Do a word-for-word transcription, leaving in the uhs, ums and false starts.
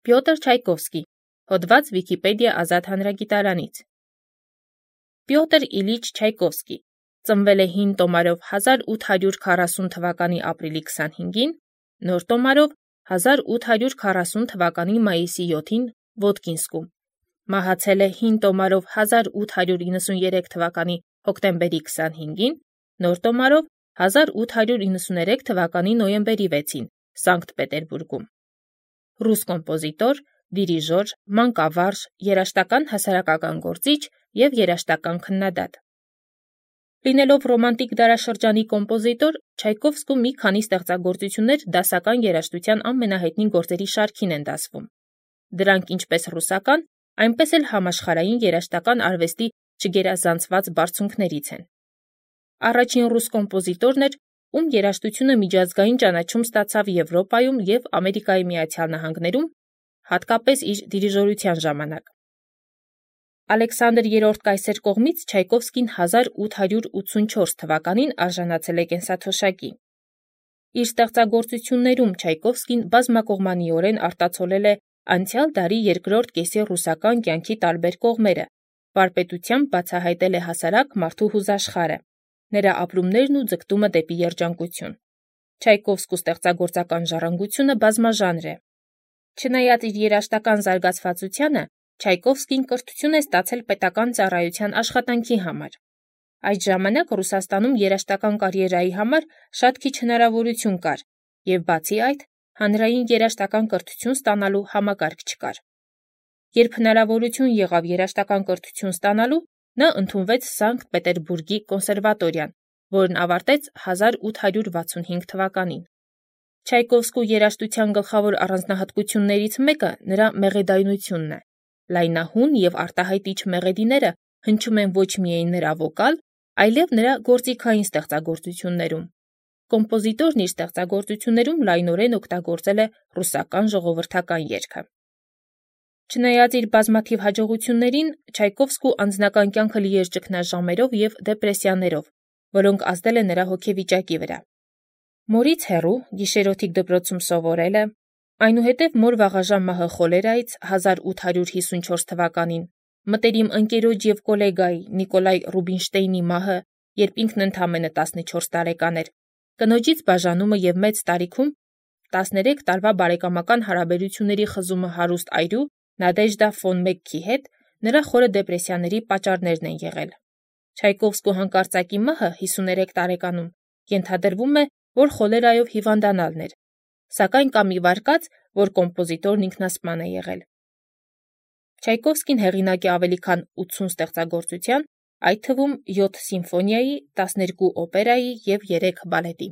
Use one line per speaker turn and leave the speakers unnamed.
Պյոտր Չայկովսկի, հոդված Վիկիպեդիա ազատ հանրագիտարանից։ Պյոտր Իլիչ Չայկովսկի ծնվել է հին տոմարով հազար ութ հարյուր քառասուն թվականի ապրիլի քսանհինգին, նոր տոմարով հազար ութ հարյուր քառասուն թվականի մայիսի յոթին Ոդկինսկում։ Մահացել է հին տոմարով հազար ութ հարյուր իննսուներեք թվականի հոկտեմբերի քսանհինգին, նոր տոմարով հազար ութ հարյուր իննսուներեք թվականի նոյեմբերի վեցին Սանկտ Պետերբուրգում։ Ռուս կոմպոզիտոր, դիրիժոր, մանկավարժ, երաժշտական հասարակական գործիչ և երաժշտական քննադատ։ Լինելով ռոմանտիկ դարաշրջանի կոմպոզիտոր, Չայկովսկու մի քանի ստեղծագործություններ դասական երաժշտության ամենահայտնի գործերի շարքին են դասվում։ Դրանք ինչպես ռուսական, այնպես էլ համաշխարհային երաժշտական արվեստի չգերազանցված բարձունքներից են։ Առաջին ռուս կոմպոզիտորն էր, ում երաժշտությունը միջազգային ճանաչում ստացավ Եվրոպայում և Ամերիկայի Միացյալ Նահանգներում, հատկապես իր դիրիժորության ժամանակ։ Ալեքսանդր երրորդ կայսեր կողմից Չայկովսկին հազար ութ հարյուր ութսունչորս թվականին արժանացել է կենսաթոշակի։ Իր ստեղծագործություններում Չայկովսկին բազմակողմանիորեն արտացոլել է անցյալ դարի երկրորդ կեսի ռուսական կյանքի տարբեր կողմերը, վարպետությամբ բացահայտել է հասարակ մարդու հուզաշխարհը, նրա ապրումներն ու ձգտումը դեպի երջանկություն։ Չայկովսկու ստեղծագործական ժառանգությունը բազմաժանր է։ Չնայած իր երաժշտական զարգացվածությանը, Չայկովսկին կրթություն է ստացել պետական ծառայության աշխատանքի համար։ Այդ ժամանակ Ռուսաստանում երաժշտական կարիերայի համար շատ քիչ հնարավորություն կար, և բացի այդ, հանրային երաժշտական կրթություն ստանալու համակարգ չկար։ Երբ հնարավորություն եղավ երաժշտական կրթություն ստանալու, նա ընդունվեց Սանկտ Պետերբուրգի կոնսերվատորիան, որն ավարտեց հազար ութ հարյուր վաթսունհինգ թվականին։ Չայկովսկու երաժշտության գլխավոր առանձնահատկություններից մեկը նրա մեղեդայնությունն է։ Լայնահուն և արտահայտիչ մեղեդիները հնչում են ոչ միայն նրա վոկալ, այլև նրա գործիքային ստեղծագործություններում։ Կոմպոզիտորն իր ստեղծագործություններում լայնորեն օգտագործել է ռուսական ժողովրդական երգը։ Չնայած իր բազմաթիվ հաջողություններին, Չայկովսկու անձնական կյանքը լի էր ճգնաժամերով և դեպրեսիաներով, որոնք ազդել են նրա հոգեվիճակի վրա։ Մորից հեռու գիշերօթիկ դպրոցում սովորելը, այնուհետև մոր վաղաժամ մահը խոլերայից հազար ութ հարյուր հիսունչորս թվականին, մտերիմ ընկերոջ և կոլեգայի Նիկոլայ Ռուբինշտեյնի մահը, երբ ինքն ընդամենը տասնչորս տարեկան էր, կնոջից բաժանումը և մեծ տարիքում տասներեք տարվա բարեկամական հարաբերությունների խզումը հարուստ այրու Նադեժդա ֆոն Մեքքի հետ նրա խորը դեպրեսիաների պատճառներն են եղել։ Չայկովսկու հանկարծակի մահը հիսուներեք տարեկանում ենթադրվում է, որ խոլերայով հիվանդանալն էր, սակայն կա մի վարկած, որ կոմպոզիտորն ինքնասպան է եղել։ Չայկովսկին հեղինակ է ավելի քան ութսուն ստեղծագործության, այդ թվում յոթ սիմֆոնիայի, տասներկու օպերայի և երեք բալետի։